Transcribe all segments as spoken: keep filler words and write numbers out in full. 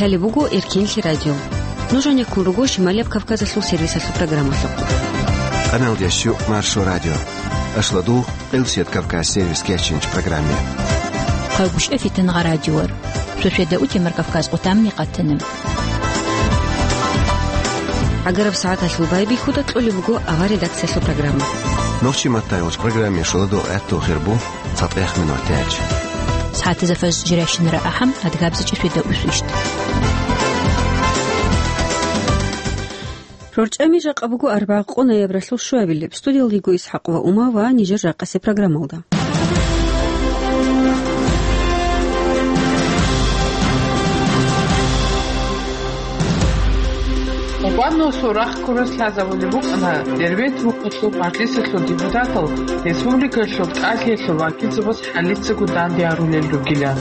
Лъалеб буго Эркенлъи радио. Нуж гьанеккун руго Шималияб Кавказалъул сервисалъул программалъухъ. Къаналдящу Маршо радио. Ашладу Къилсият Кавказ сервис кечинч программе. Къагушев Фитнагъа радиор. Суседа утемар Кавказ къутамни къатана. ГӀагараб сагӀаталъул байбихьуда кьолеб буго авар редакциялъул программа. Нохчи маттайолч программе шуладо гӀатту хирбу цатӀех минут тяч. СагӀатазда фаж жиращинара ахӀам, адгабзачӀи суседа усвищ. РорчӀами жакъа буго арбагъ къо ноябралъул щуабилеб. Студиялда йиго ИсхӀакъ ва Ума ва нижер жакъасе программалда. Къурбанасул рахъ ккурас лъазабулеб букӀана Дербент мухъалъул мажлисалъул депутатал республикалъул тӀалъиялъул вакилзабаз хӀалицаго данде гьарулел ругилан.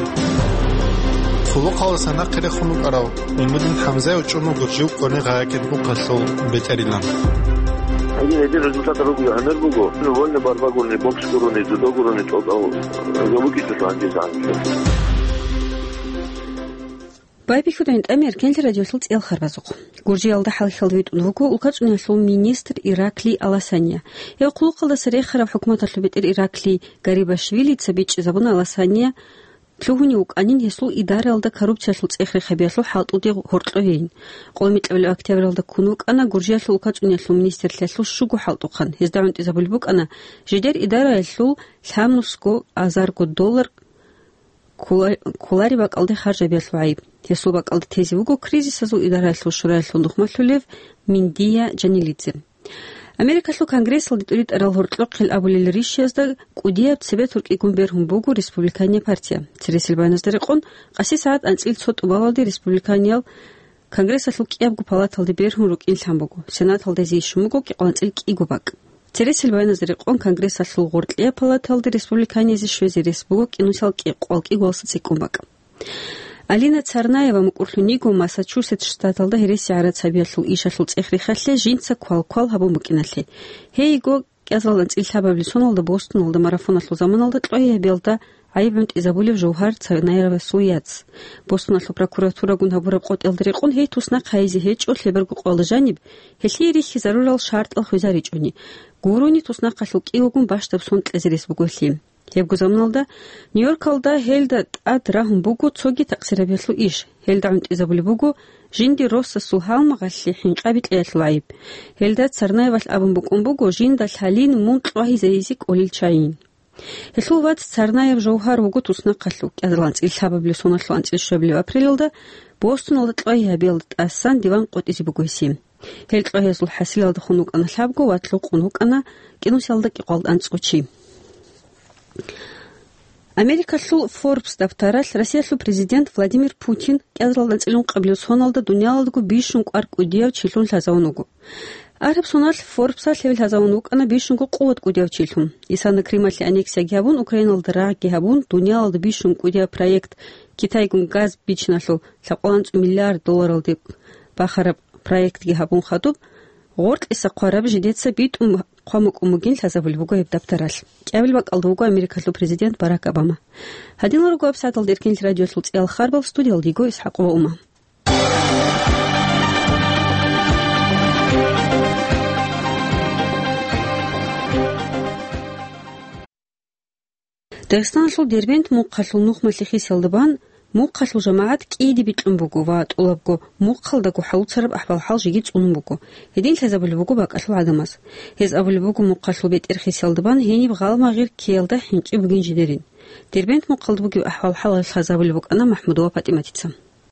Хъулухъалдаса нахъе рехун вукӀарав ГӀилмудин ХӀамзаев чӀун вуго жив Къони Гъаякин мухъалъул бетӀерилан. Гьедин гьедин результат руго, гьанир буго, вольный борьба гурони, бокс гурони, дзюдо гурони, тӀокӀав гьабукӀичӀо гьанже загьанже. Байбихьуда гӀинтӀами Эркенлъи радиолъул цӀел харбазухъ. Гуржиялда хӀалхьалда витӀун вуго улкацӀуниялъул министр Ираклий Аласания. Гьев хъулухъалдаса рехараб хӀукуматалъул бетӀер Ираклий Гарибашвилица бичӀчӀизабуна Аласания лъугьунев вукӀанин гьесул идараялда коррупциялъул цӀех рехабиялъул хӀалтӀуде гьоркьовейин. Къоло микьабилеб октябралда ккун вукӀана Гуржиялъул улкацӀуниялъул министрлъиялъул щуго хӀалтӀухъан. Гьезда гӀунтӀизабулеб букӀана жидер идараялъул лъабнусго азарго доллар ккола-, кколареб бакӀалде харжабиялъул гӀайиб. Гьесул бакӀалда тезе вуго кризисазул идараялъул шураялъул нухмалъулев Миндия Жанилидзе. Америкалъул Конгрессалде тӀуритӀарал гьоркьохъел абулел ришшиязда кӀудияб цебетуркӀигун бергьун буго Республикания партия. Цересел баяназда рекъон, къаси сагӀат анцӀил цо тӀубалалде республиканиял Конгрессалъул кӀиябго палаталде бергьун рукӀин лъан буго, Сенаталда гьезие щун буго кӀикъоялда анцӀил кӀиго бакӀ. Цересел баяназда рекъон, Конгрессалъул гъоркьияб палаталде республиканиязде щвезе рес буго кӀинусал кӀикъоялда кӀиго цӀикӀкӀун бакӀ. Алина Царнаева мукӀурлъун йиго Массачусетс штаталда гьереси гӀарацабиялъул ишалъул цӀех рехалъе жинца квал-квал гьабун букӀиналъе. Гьей йиго кӀиабилеб анцӀил лъабабилеб соналда Бостоналда марафоналъул заманалда кьвагьабиялда гӀайиб гӀунтӀизабулев Жовгьар Царнаевасул яц. Бостоналъул прокуратурагун гьабураб къотӀиялда рекъон гьей туснахъ гьайизе гьечӀо лъеберго къоялда жаниб, гьелъие рихьизарурал шартӀал хвезаричӀони. Гурони туснахъалъул кӀиявгун бащдаб сон кьезе рес буго гьелъие. Гьебго заманалда Нью-Йоркалда гьелда тӀад рагьун буго цоги такъсирабиялъул иш. Гьелда гӀунтӀизабулеб буго жиндир росасул гьалмагъалъе хӀинкъаби кьеялъул гӀайиб. Гьелда Царнаевалъ абун букӀун буго жинда лъалин мун кьвагьизайизе кӀолел чагӀийин. Гьелъул вац Царнаев Жовгьар вуго туснахъалъув, кӀиабилеб анцӀил лъабабилеб соналъул анцӀил щуабилеб апрелалда Бостоналда кьвагьабиялда тӀасан диван къотӀизе буго гьесие. Гьел кьвагьазул хӀасилалдехун вукӀана лъабго ва лъукъун вукӀана кӀинусалда кӀикъоялда анцӀго чи. Америкалъул Forbes даптаралъ Россиялъул президент Владимир Путин кӀиабилеб анцӀил ункъабилеб соналда дуниялалдаго бищун кӀвар кӀудияв чилъун лъазавун вуго. Араб соналъ Forbes-алъ гьев лъазавун вукӀана бищунго къуват кӀудияв чилъун. Исана Крымалъе аннексияги гьабун, Украиналда рагъги гьабун, дуниялалда бищун кӀудияв проект, Китайгун газ бичиналъул лъабкъоялда анцӀго миллиард долларалде бахараб проектги гьабун хадуб, гъоркьиса хъвараб жидеца битӀун хъван букӀун бугин лъазабулеб буго гьеб даптаралъ. КӀиабилеб бакӀалда вуго Америкалъул президент Барак Обама. Гьадинал руго гьабсагӀаталда Эркенлъи радиолъул цӀиял харбал, студиялда йиго ИсхӀакъ ва Ума. Дагъистаналъул Дербент мухъалъул нухмалъе хисиялда бан мухъалъул жамагӀат кӀиде бикьун буго ва тӀолабго мухъалдаго хӀалуцараб ахӀвал-хӀал жеги цӀунун буго. Гьедин лъазабулеб буго бакӀалъул гӀадамаз. Гьез абулеб буго мухъалъул бетӀер хисиялда бан гьениб гъалмагъир ккеялда хӀинчӀи бугин жидерин. Дербент мухъалда бугеб ахӀвал-хӀал лъазабулеб букӀана МахӀмудова ПатӀиматица.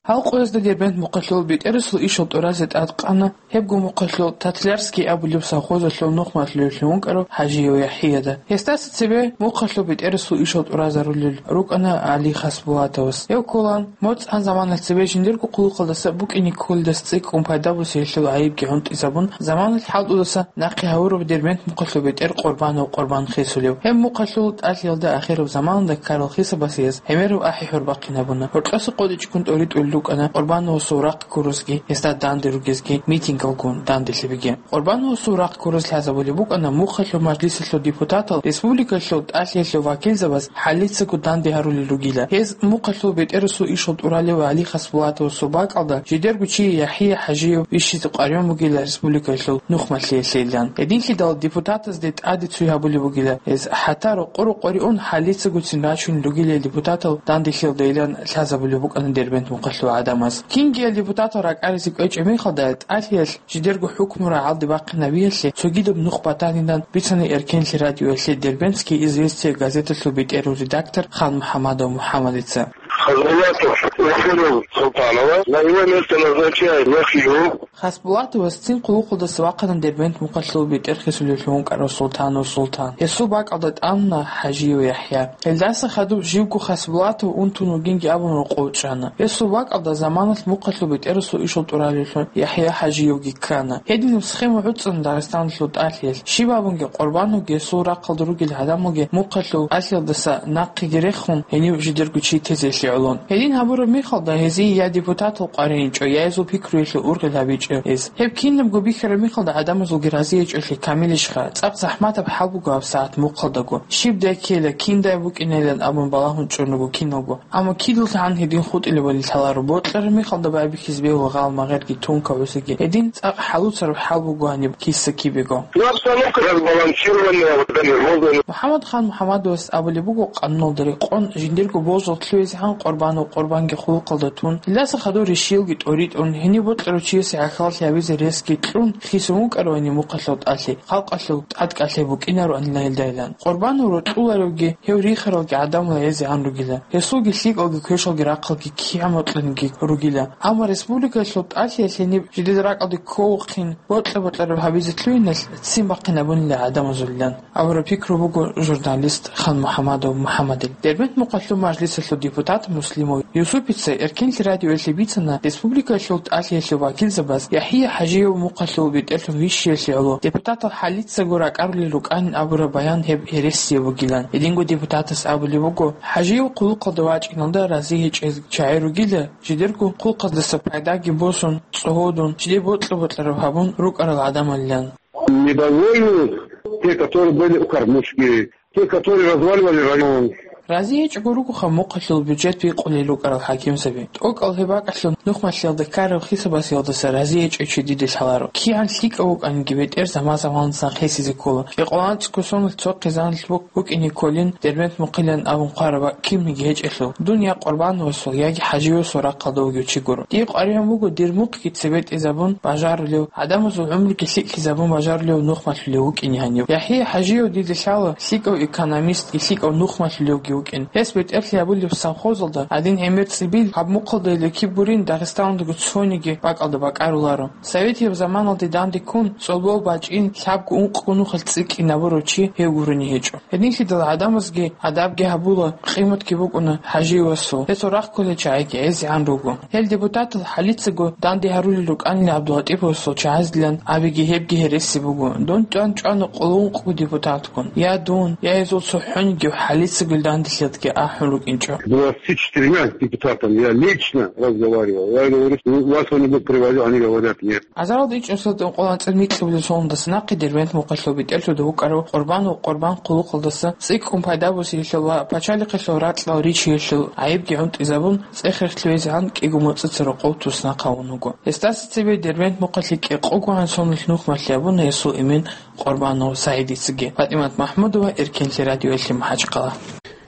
Гьал къоязда Дербент мухъалъул бетӀерасул ишал тӀуразе тӀадкъана гьебго мухъалъул Татлярский абулеб совхозалъул нухмалъулевлъун вукӀарав ХӀажиев ЯхӀияда. Гьесдаса цебе мухъалъул бетӀерасул ишал тӀуразарулел рукӀана ГӀали Хасбулатовас. Гьев кколаан моцӀ гьан заманалъ цебе жиндирго хъулухъалдаса букӀине кколдас цӀикӀкӀун пайда босиялъул гӀайибги гӀунтӀизабун, заманалъ хӀалтӀудаса нахъе гьавураб Дербент мухъалъул бетӀер Къурбанов Къурбан хисулев. Гьеб мухъалъул тӀалъиялда ахираб заманалда ккарал хисабалъ гьез гӀемераб ахӀи-хӀур бахъинабуна. Гьоркьоса къотӀичӀгун тӀоритӀулел рукӀана Къурбановасул рахъ ккурасги гьесда данде ругезги митингалгун данделъабиги. Къурбановасул рахъ ккурас лъазабулеб букӀана мухъалъул мажлисалъул депутатал республикалъул тӀалъиялъул вакилзабаз хӀалицаго данде гьарулел ругила. Гьез мухъалъул бетӀерасул ишал тӀуралев Гьали Хасбулатовасул бакӀалда жидерго чи ЯхӀя ХӀажиев вищизе къваригӀун бугила республикалъул нухмалъиялъейилан. Гьединлъидал депутатазде тӀаде цуй гьабулеб бугила гьез, хӀатта рокъо-рокъоре ун хӀалицагоцин рачунел ругилел депутатал данделъиялдайилан лъазабулеб букӀана Дербент мухъалъул гӀадамаз. Кингиял депутатал ракӀаризе кӀвечӀеб мехалда, тӀалъиялъ жидерго хӀукму рагӀалде бахъинабиялъе цогидаб нух батанилан бицана Эркенлъи радиоялъе «Дербентские известия» газеталъул бетӀерав редактор Хан МухӀамадов МухӀамадица. Хасбулатов уволил Султанова. На его место назначают Яхью. Хасбулатовас цин хъулухъалдаса вахъана Дербент мухъалъул бетӀер хисулевлъун вукӀарав Султанов Султан. Гьесул бакӀалда тӀамуна ХӀажиев ЯхӀя. Гьелдаса хадуб живго Хасбулатов унтун вугинги абун рокъов чӀана. Гьесул бакӀалда заманалъ мухъалъул бетӀерасул ишал тӀуралевлъун ЯхӀя ХӀажиевги ккана. Гьединаб схема гӀуцӀана Дагъистаналъул тӀалъиялъ. Щиб абунги, Къурбановги гьесул рахъалда ругел гӀадамалги мухъалъул тӀалъиялдаса нахъеги рехун, гьенив жидерго чи тезелъе гӀолон. Гьедин гьабураб мехалда, гьезие я депутатал къваригӀинчӀо, я гьезул пикруялъе ургъел гьабичӀо гьез. Гьеб кинабго бихьараб мехалда гӀадамазулги рази гьечӀолъи камилищха? ЦӀакъ захӀматаб хӀал буго гьаб сагӀат мухъалдаго. Щибдай ккела, киндай букӀинайилан абун балагьун чӀун руго киналго. Амма кидалъ гьан гьедин хутӀилебали лъаларо, бокьараб мехалда байбихьизе бегьула гъал-магъерги тункаб гӀусиги. Гьедин цӀакъ хӀалуцараб хӀал буго гьаниб киса-кибего. Ну, обстановка разбалансированная, вот, нервозная. МухӀаммад Хан МухӀаммадовас абулеб буго, къануналда рекъон жиндирго божал лъугӀизегӀан Къурбанов Къурбанги хъулухъалда тун, гьелдаса хадур ришиялги тӀоритӀун, гьенив бокьарав чиясе гӀахьаллъи гьабизе ресги кьун хисун вукӀаравани мухъалъул тӀалъи, халкъалъул тӀадкӀалъи букӀинароанила гьелдайилан. Къурбанов рокьуларевги, гьев рихаралги гӀадамал гӀезегӀан ругила. Гьесулги лъикӀалги квешалги рахъалги кигӀан бокьаниги ругила. Амма республикалъул тӀалъиялъ гьениб жидеда ракӀалде кколухъин бокьа-бокьараб гьабизе лъугьиналъ ццин бахъинабунила гӀадамазулилан абураб пикру буго журналист Хан МухӀаммадов МухӀаммадил. Дербент мухъалъул мажлисалъул депутат Муслимов Юсупица Эркенлъи радиоялъе бицана республикалъул тӀалъиялъул вакилзабаз ЯхӀя ХӀажиев мухъалъул бетӀерлъун вищиялъе гӀоло депутатал хӀалицаго ракӀарулел рукӀанин абураб баян гьеб гьересияб бугилан. Гьединго депутатас абулеб буго, ХӀажиев хъулухъалда вачӀиналда рази гьечӀел чагӀи ругила, жидерго хъулухъалдаса пайдаги босун, цӀогьодун, жиде бокьа-бокьараб гьабун рукӀарал гӀадамалилан. Недовольны те, которые были у кормушки, те, которые разваливали район. Рази гьечӀого ругоха мухъалъул бюджет бикъулел рукӀарал хӀакимзаби. ТӀокӀал гьеб бакӀалъун нухмалъиялда ккараб хисабазиялдаса рази гьечӀев чи диде лъаларо. КигӀан лъикӀав вукӀаниги, бетӀер заман-заманалдасан хисизе ккола. КӀикъоялда анцӀго соналъ цо хъизаналъ букӀине кколин, Дербент мухъилан абун хъвараб бакӀ кинниги гьечӀелъул, дун я Къурбановасул, яги ХӀажиевасул рахъалда вугев чи гуро. Дие къваригӀун буго дир мухъги цебетӀезабун бажарулев, гӀадамазул гӀумруги лъикӀлъизабун бажарулев нухмалъулев вукӀине гьанив. ЯхӀя ХӀажиев диде лъала лъикӀав экономистги лъикӀав нухмалъулевги вукӀин. Гьес бетӀерлъи гьабулеб совхозалда гьадин гӀемер цӀибил гьаб мухъалдайила киб гурин Дагъистаналдаго цониги бакӀалда бакӀаруларо. Советияб заманалде данде ккун, цӀолбол бачӀин, лъабго-ункъго нухалъ цӀикӀкӀинабурав чи гьев гурони гьечӀо. Гьединлъидал гӀадамазги адабги гьабула, къиматги букӀуна ХӀажиевасул. Гьесул рахъ кколел чагӀиги гӀезегӀан руго. Гьел депутатал хӀалицаго данде гьарулел рукӀанила ГӀабдулатӀиповасул чагӀаздилан абиги гьебги гьереси буго. Дун чӀван-чӀвана къоло-ункъго депутатгун. Я дун, я гьезул цохӀонигив хӀалицаго данделъиялдги ахӀун рукӀинчӀо. Двадцати четырьмя депутатами я лично разговаривал. Я говорю, что вас кто-нибудь привозил, они говорят, нет. Азаралда ичӀнусиялда ункъоялда анцӀила микьабилеб соналдаса нахъе Дербент мухъалъул бетӀерлъуда вукӀарав Къурбанов Къурбан хъулухъалдаса цӀикӀкӀун пайда босиялъул ва пачалихъалъул ракьал ричиялъул гӀайибги гӀунтӀизабун, цӀех-рехлъи везегӀан кӀиго моцӀица рокъов туснахъ гьавун вуго. Гьесдаса цебе Дербент мухъалъе кӀикъогогӀан соналъ нухмалъи гьабуна гьесул эмен Къурбанов СагӀидицаги. ПатӀимат МахӀмудова, Эркенлъи радиоялъе, МахӀачхъала.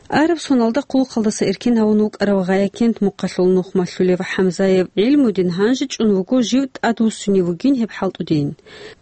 Араб соналда хъулухъалдаса эркин гьавун вукӀарав Гъаякент мухъалъул нухмалъулев ХӀамзаев ГӀилмудин гьанже чӀун вуго жив тӀадвуссунев вугин гьеб хӀалтӀудин.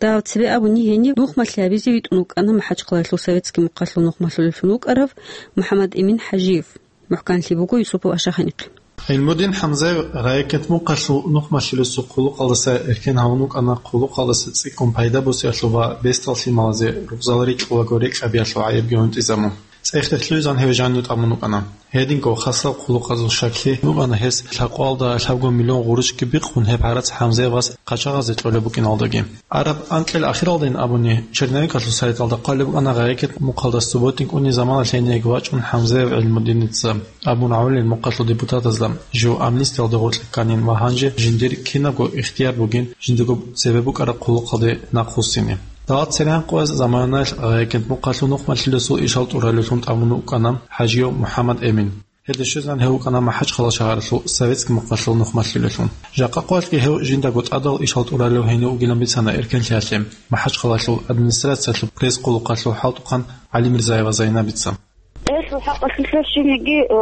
Дагьаб цебе абуни гьенив нухмалъи гьабизе витӀун вукӀана МахӀачхъалаялъул советский мухъалъул нухмалъулевлъун вукӀарав МухӀаммад-Эмин ХӀажиев. МухӀканлъи буго Юсупов Ашаханикъи. ГӀилмудин ХӀамзаев Гъаякент мухъалъул нухмалъулесул хъулухъалдаса эркин гьавун вукӀана хъулухъалдаса цӀикӀкӀун пайда босиялъул ва бесдал лъималазе рукъзал рикьулаго рекӀкӀабиялъул гӀайибги гӀунтӀизабун. ЦӀех-рех лъугӀизан гьев жанив тӀамун вукӀана. Гьединго хасал хъулухъазул щаклъи букӀана гьес лъабкъоялда лъабго миллион гъурущги бихъун гьеб гӀарац ХӀамзаевас къачагъазе кьолеб букӀиналдаги. Араб анкьил ахиралдайин абуни, черновикалъул сайталда хъвалеб букӀана ГъайикӀен мухъалда субботник уней заманалъ гьениеги вачӀун ХӀамзаев ГӀилмудиница абун гӀолил мухъалъул депутатазда жив амнистиялда гъоркье кканин ва гьанже жиндир кинабго ихтияр бугин жиндирго цебе букӀараб хъулухъалде нахъвуссине. Давлат церегӀан къояз заманаялъ ГъайикӀен мухъалъул нухмалъулесул ишал тӀуралевлъун тӀамун вукӀана ХӀажиев МухӀаммад Эмин. Гьелде щвезегӀан гьев вукӀана МахӀачхъала шагьаралъул Советский мухъалъул нухмалъулелъун. Жакъа къоялъги гьев жиндаго тӀадал ишал тӀуралев гьенив вугилан бицана эркенлъиялъе МахӀачхъалалъул администрациялъул пресс-хъулухъалъул хӀалтӀухъан ГӀалимирзаева Зайнабица. Гьелъул хӀакъалъулъ щибниги, э,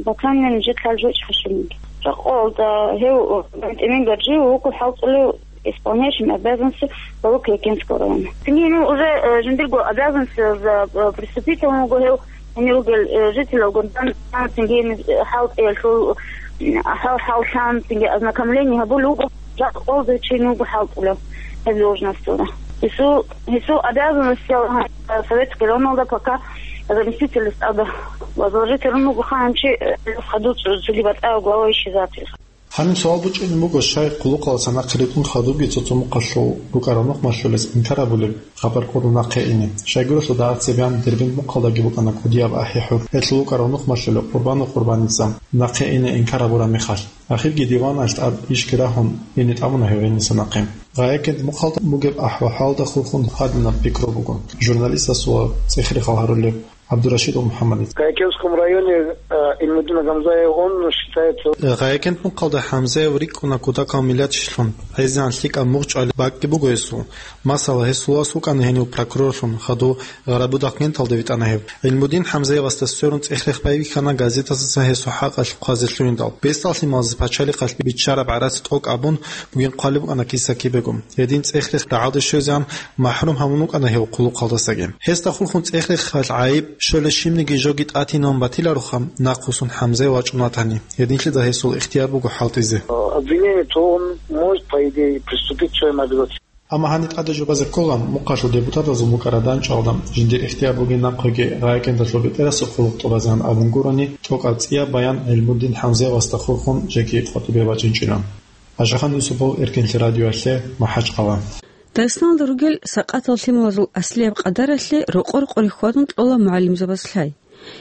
батанин жидлъал жочӀ хӀашимги. Жакъа къоялда гьев, э, Эмин Гаджиев вуго хӀалтӀулев исполняющим обязанности главы Каякентского района. Цинги гьенив уже, э, жиндирго обязанностяз, э, приступитал вуго гьев, гьенир ругел, э, жителалгун дан, цинги гьениб, э, хӀалтӀиялъул, м, хӀал-, хӀаллъан, цинги ознакомление гьабулев вуго, жакъа къоялда чи вуго хӀалтӀулев гьеб должносталда. Гьесул, гьесул обязанностял, э, Советский районалда пока заместитель стада возложить гьарун вуго ханчи, э, хадув цо-, цоги батӀа глава исчезатель. Гьаниб суал бучӀунеб буго, щай хъулухъалдаса нахъе ритӀун хадубги цо-цо мухъалъул букӀараб нухмалъулес инкар гьабулеб хабар кьурун нахъе ине. Щайгурелъул дагьаб цебеян Дербент мухъалдаги букӀана кӀудияб ахӀи-хӀур, гьелъул букӀараб нухмалъулеб Къурбану Къурбаница нахъе ине инкар гьабураб мехалъ. Ахирги диваналъ тӀад ишги рагьун, ине тӀамуна гьев гьениса нахъе. ГъайикӀен мухъалда бугеб ахӀвал-хӀалда хурхун гьадинаб пикру буго журналистасул цӀех-рехал гьарулев ГӀабдурашидов МухӀаммадица. В Каякентском районе, э, Ильмудин Гамзаев, он считается... ГъайикӀен мухъалда ХӀамзаев рикӀкӀуна кутакал миллатишлъун, гӀезегӀан лъикӀаб мугъ чӀвалеб бакӀги буго гьесул. Масала, гьесул вас вукӀана гьенив прокурорлъун, хадув Гъарабуда кенталда витӀана гьев. ГӀилмудин ХӀамзаевасда сверун цӀех-рех байбихьана газетаздаса гьесул хӀакъалъулъ хъвазе лъугьиндал. Бесдал лъималазе пачалихъалъ биччараб гӀарац тӀокӀ абун бугин хъвалеб букӀана киса-кибего. Гьедин цӀех-рех рагӀалде щвезегӀан махӀрум гьавун вукӀана гьев хъулухъалдасаги. Гьесда хурхун цӀех-рехалъ гӀайиб щолеб щибниги жоги тӀатинавун батилароха, нахъвуссун ХӀамзаев вачӀун ватани. Гьединлъидал гьесул ихтияр буго хӀалтӀизе. Обвинение, то он может, по идее, приступить к своим обязательствам. Амма гьаниб тӀаде жубазе ккола, мухъалъул депутатазул букӀараб дандчӀвалда жиндир ихтияр бугин нахъеги ГъайикӀендалъул бетӀерасухъ хъулухъ тӀубазегӀан абун гурони, тӀокӀаб цӀияб баян ГӀилмудин ХӀамзаевасда хурхун жеги къватӀибе бачӀинчӀила. Ашахан Юсупов, Эркенлъи радиоялъе, МахӀачхъала. Дагъистаналда ругел сакъатал лъималазул аслияб къадаралъе рокъор къоре хьвадун кьола мугӀалимзабаз лъай.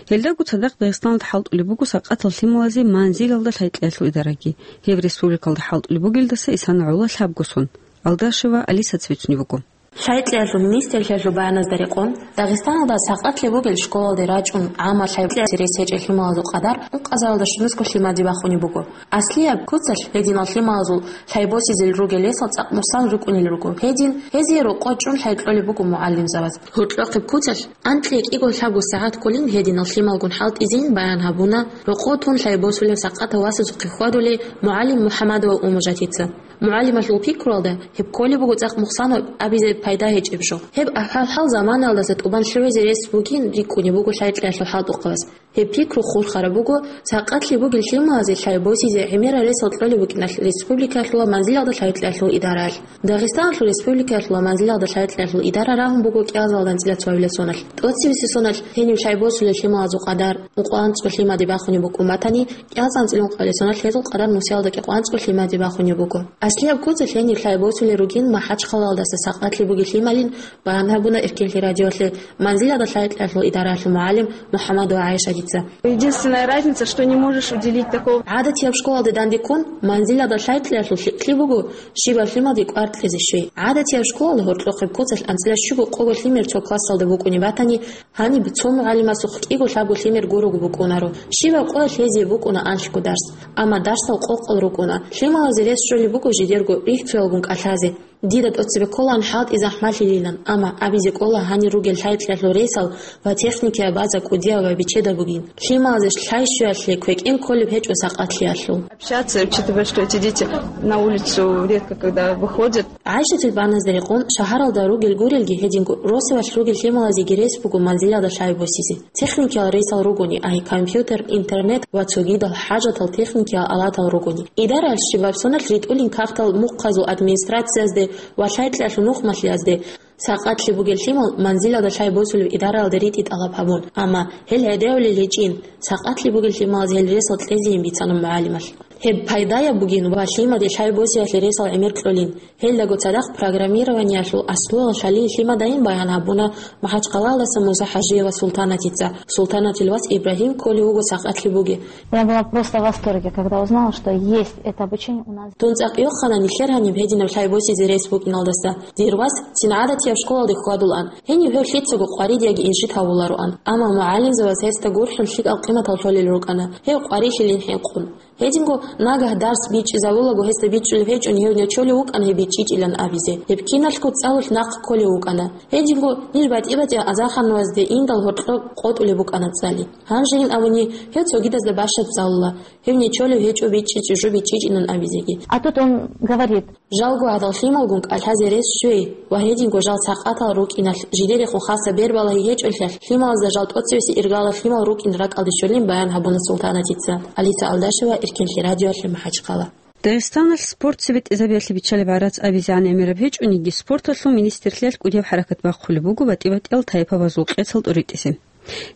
Гьелдаго цадахъ Дагъистаналда хӀалтӀулеб буго сакъатал лъималазе манзилалда лъай-кьеялъул идараги. Гьеб республикалда хӀалтӀулеб бугелдаса исана гӀоло лъабго сон. Алдашева Алисаца бицунеб буго. Лъайкьеялъул министрлъиялъул баяназда рекъон, Дагъистаналда сакъатлъи бугел школалде рачӀун гӀаммал лъайкьеялъе рес гьечӀел лъималазул къадар ункъазаралда щунусго лъимаде бахунеб буго. Аслияб куцалъ гьединал лъималазул лъай босизе ругел ресал цӀакъ нусан рукӀунел руго. Гьедин, гьезие рокъо чӀун лъай кьолеб буго мугӀалимзабаз. Гьоркьохъеб куцалъ анкьи кӀиго лъабго сагӀат кколин гьединал лъималгун хӀалтӀизейин баян гьабуна, рокъо тун лъай босулев сакъатав васасухъе хьвадулей мугӀалим МухӀамадова Умажатица. МугӀалималъул пикруялда, гьеб кколеб буго цӀакъ мухсанаб абизе пайда гьечӀеб жо. Гьеб ахӀвал-хӀал заманаялдаса тӀубан лъугӀизе рес бугин рикӀкӀунеб буго лъайкьеялъул хӀалтӀухъабаз. Гьеб пикру хурхараб буго, сакъатлъи бугел лъималазе лъай босизе гӀемерал ресал кьолеб букӀиналъ республикаялъул ва манзилалда лъайкьеялъул идараялъ. Дагъистаналъул республикаялъул ва манзилалда лъайкьеялъул идара рагьун буго кӀиазалда анцӀила цоабилеб соналъ. ТӀоцебесеб соналъ гьенив лъай босулел лъималазул къадар ункъоялда анцӀго лъимаде бахунеб букӀун батани, кӀиазда анцӀила ункъабилеб соналъ гьезул къадар нусиялда кӀикъоялда анцӀго лъимаде бахунеб буго. Аслияб куцалъ гьенив лъай босулел ругин МахӀачхъалалдаса сакъатлъи бугел лъималин баян гьабуна Эркенлъи радиоялъе манзилалда лъайкьеялъул идараялъул мугӀалим МухӀамадова ГӀайшатица. Единственная разница, что не можешь уделить такого. ГӀадатияб школалде дандеккун, манзилалда лъайкьеялъул лъикӀлъи буго щибаб лъималде кӀвар кьезе щвей. ГӀадатияб школалда гьоркьохъеб куцалъ анцӀила щуго-къого лъимер цо классалда букӀунеб батани, гьаниб цо мугӀалимасухъ кӀиго лъабго лъимер гуроги букӀунаро. Щибаб къоялъ гьезие букӀуна анлъго дарс, амма дарсал къокъал рукӀуна. Лъималазе рес щолеб буго жидерго рихцоялгун кӀалъазе. Дида тӀоцебе кколаан хӀалтӀи захӀмалъилилан, амма абизе кӀола гьанир ругел лъайкьеялъул ресал ва техникияб база кӀудияб ва бичедаб бугин. Лъималазе лъай щвеялъе квекӀен кколеб гьечӀо сакъатлъиялъул. Общаться, учитывая, что эти дети на улицу редко когда выходят. ГӀайшатил баяназда рекъон, шагьаралда ругел гурелги гьединго росулъ ругел лъималазеги рес буго манзилалда лъай босизе. Техникиял ресал ругони, ай компьютер, интернет ва цогидал хӀажатал техникиял алатал ругони. Идараялъ щибаб соналъ ритӀулин кагътал мухъазул администрациязде Ва лъай-кьалъул нухмалъиязде сакъатлъи бугел лъимал манзилалда лъай босулеб идараялда ритӀи тӀалаб гьабун, амма гьел гӀедегӀулел гьечӀин, сакъатлъи бугел лъималаз гьел ресал кьезейин бицана мугӀалималъ. Гьеб пайдаяб бугин ва лъимаде лъай босиялъе ресал гӀемер кьолин. Гьелдаго цадахъ программированиялъул аслуялъ лъалин лъимадайин баян гьабуна МахӀачхъалаялдаса Муса ХӀажиева Султанатица. Султанатил вас Ибрагьим кколев вуго сакъатлъи бугеб. Я была просто в восторге, когда узнала, что есть это обучение у нас. Дун цӀакъ йохана нилъер гьаниб гьединаб лъай босизе рес букӀиналдаса. Дир вас цин гӀадатияб школалде хьвадулаан, гьенив гьев лъицаго къваридеги инжит гьавулароан. Амма мугӀалимзабаз гьесда гурхӀун лъикӀал къиматал лъолел рукӀана, гьев къварилъилин хӀинкъун. Гьединго нагагь дарс бичӀчӀизавулаго гьесда бичӀчӀулеб гьечӀони гьев нечолев вукӀана гьеб бичӀчӀичӀилан абизе. Гьеб киналъго цӀалулъ нахъ кколев вукӀана. Гьединго ниж батӀи-батӀияб азарханвазде индал гьоркьоб къотӀулеб букӀана цӀали. Гьанжейин абуни, гьев цогидазда бащад цӀалула, гьев нечолев гьечӀо бичӀчӀичӀеб жо бичӀчӀичӀилан абизеги. А тут он говорит. Жалго гьадал лъималгун кӀалъазе рес щвей ва гьединго жал сакъатал рукӀиналъ жидерехун хаса бер балагьи гьечӀолъиялъ, лъималазда жал тӀоцевеси иргалал лъимал рукӀин ракӀалде щолин баян гьабуна Султанатица. Алиса Алдашева, Эркенлъи радиоялъе МахӀачхъала. Дагъистаналъ спорт цебетӀезабиялъе биччалеб гӀарац абизегӀан гӀемераб гьечӀониги, спорталъул министрлъиялъ кӀудияб хӀаракат бахъулеб буго батӀи-батӀиял тайпабазул къецал тӀуритӀизе.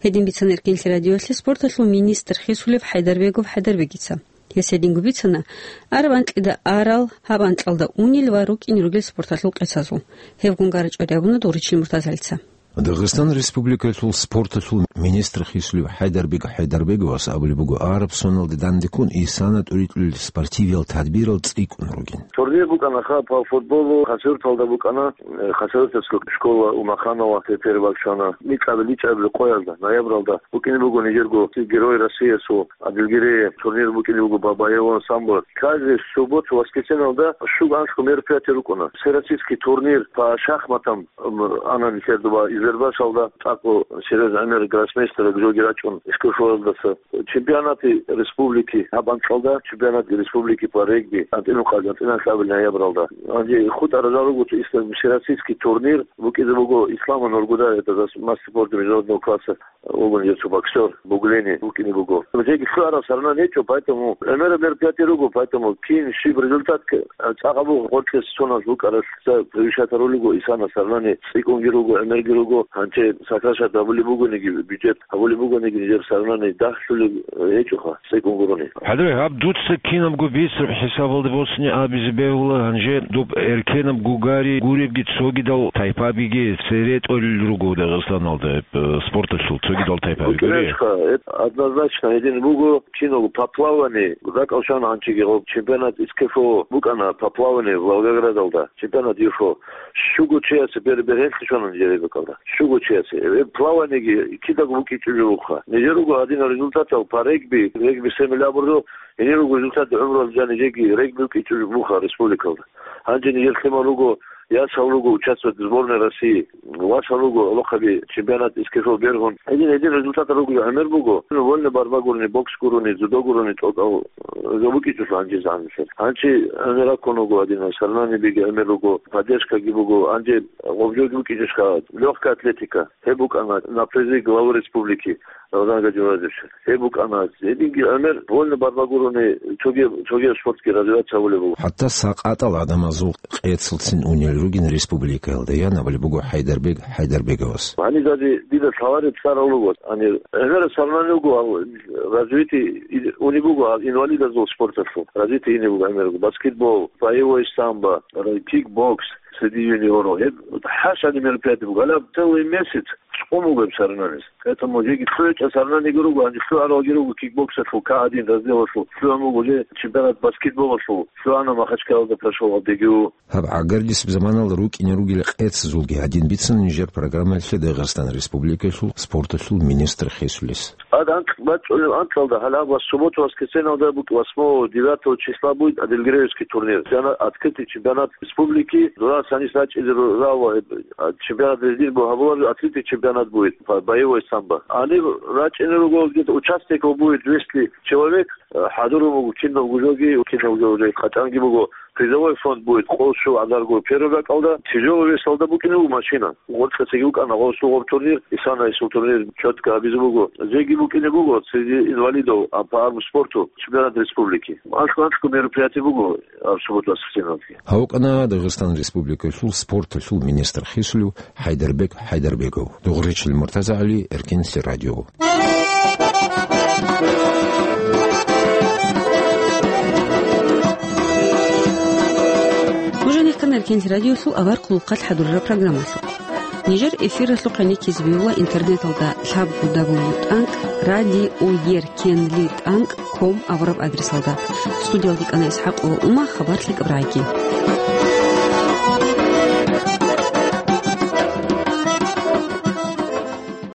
Гьедин бицана Эркенлъи радиоялъе спорталъул министр хисулев ХӀайдарбегов ХӀайдарбегица. Гьес гьединго бицана, араб анкьида арал, гьаб анкьалда унел ва рукӀине ругел спорталъул къецазул. Гьебгун гарачӀвари абуна Дугъричил Муртазалица. Дагъистан Республикалъул спорталъул министр хисулев ХӀайдарбег ХӀайдарбеговас абулеб буго, араб соналде дандеккун исана тӀуритӀулел спортивиял тадбирал цӀикӀкӀун ругин. Турнир букӀана ха по футболу, Хасавюрталда букӀана, э, Хасавюртовская школа Умаханова тепер бакӀана. Микьабил-, личӀабил къоялда, ноябралда букӀине буго нижерго Герой Россиясул Адилгирее турнир букӀине буго Бабаево ансамбль. Каждый субботу, воскресеньялда щуго-анлъго мероприятие рукӀуна. Всероссийский турнир по шахматам, м, ана нилъер доба Избербашалда, тӀакӀо серьёзный гӀемер гроссмейстер жоги рачӀун Ишкушоялдаса. Чемпионаты республики гьаб анкьалда, чемпионат республики по регби, анцӀила къагӀ-, анцӀила лъабил ноябралда. Гьанже хутӀарал руго ислам-, всероссийский турнир букӀизе буго Ислама Нургуда, это за с-, мастер спорта международного класса. Вугони гьев цо боксёр, Буглени вукӀине буго. Жеги лъугӀараб соревнование гьечӀо, поэтому гӀемераб мероприятие руго, поэтому кин щиб результат к-, цӀакъ абу гъоркьес соназ букӀаралъ ца превышать гьарулего, исана соревнование цӀикӀкӀунги руго, гӀемерги руго, гьанже сокращать гьабулеб бугониги, бюджет гьабулеб бугониги, нижер соревнование дагьлъулеб гьечӀоха, цӀикӀкӀун гурони. ХӀадре, гьаб дуца кинабго бицараб хӀисабалда босине абизе бегьула, гьанже доб эркенаб гугари гуребги цогидал тайпабиги цере тӀолел руго Дагъистаналда. Э, спорталъул цогидал тайпаби гури? Гьечха, э, однозначно гьедин буго, киналго по плаванию, ракӀал щвана гьанчиги гъоб чемпионат СКФО букӀана по плаванию Волгоградалда, чемпионат ЮФО. Щуго чиясе бер-, бергьенлъи щвана нижер ребекалда. Щуго чиясе. Э, плаваниеги кидаго букӀичӀеб жо буха. Нижер руго гьадинал результатал по регби, регби семь абурзо, гьенир руго результат гӀумруялда жани жеги регби букӀичӀеб жо буха республикалда. Гьанже нижер лъимал руго, ясал руго участвовать сборной России, васал руго гӀолохъаби чемпионат СКФО бергьун. Гьедин, гьедин результатал руго гӀемер буго. Вольный борьба гурони, бокс гурони, дзюдо гурони тӀокӀал, э, жо букӀичӀелъул гьанже загьанлъи. Гьанчи гӀемераб ккун вуго гьадинал, соревнованиебиги гӀемер руго, поддержкаги буго. Гьанже гъоб жоги букӀичӀищха, лёгкая атлетика. Гьеб букӀана на призы главы республики. Рамазан Гаджимурадович, гьеб букӀана, гьединги гӀемер вольный борьба гурони, цоги-, цогияб спортги развиваться гьабулеб буго. ХӀатта сакъатал гӀадамазул къецалцин унел ругин республикаялда, ян абулеб буго ХӀайдарбег ХӀайдарбеговас. Гьаниб даже дида лъалареб цӀарал руго. Гьанир гӀемераб соревнование буго, гьал развитие и-, унеб буго гьал инвалидазул спорталъул. Развитие инеб буго гӀемер руго. Баскетбол, боевой самбо, кикбокс, среди юниоров. Гьеб хӀашани мероприятие буго. Гьалаб целый месяц чӀун буго гьеб соревнованиялъ. Поэтому жеги лъугӀичӀеб соревнованиеги руго, гьанже лъугӀаралги руго кикбоксалъул, К один разделалъул, лъугӀун буго уже чемпионат баскетболалъул, лъугӀана Махачкалалда прошел ДГУ. Гьаб гӀагарлъисеб заманалда рукӀине ругел къецазулги гьадин бицана нижер программаялъе Дагъистан Республикалъул спорталъул министр хисулес. Гьад анкь бачӀунеб анкьалда гьалаб ва субботу-воскресеньялда букӀ-, восьмого, девятого числа будет Адилгиреевский турнир. Чемпионат, открытый чемпионат республики. Дора санис рачӀизе ру-, рава, э, чемпионат везде бу-, гьабулар, открытый чемпионат будет по боевой самбо. Гьаниб рачӀине руго, где-то участников будет двести человек. Э, хӀадурун буго кинабго жоги, кинабго уже къачӀанги буго. Призовой фонд будет къосу гӀадарго первый бакӀалда, тяжелый весалда букӀине буго машина. Гъоркьа цеги букӀана гъосул гъоб турнир, исана исул турнир четко гьабизе буго. Зеги букӀине буго среди инвалидов, а, по армспорту чемпионат республики. АнцӀго-анцӀго мероприятие буго, а, в субботу-воскресенье. Гьавкана Дагъистан Республикалъул спорталъул министр хисулев ХӀайдарбек ХӀайдарбеков. Дугъричил МуртазагӀали, Эркенлъи радио. Нуж гьанихъан Эркенлъи радиолъул авар хъулухъалъ хӀадурараб программалъухъ. Нижер эфиралъухъ гӀенеккизе бегьула интернеталда лъабго дабл ю тӀанкӀ радио еркенлъи тӀанкӀ ком абураб адресалда. Студиялде кӀана ИсхӀакъ ва Ума, хабар лъикӀаб рагӀиги.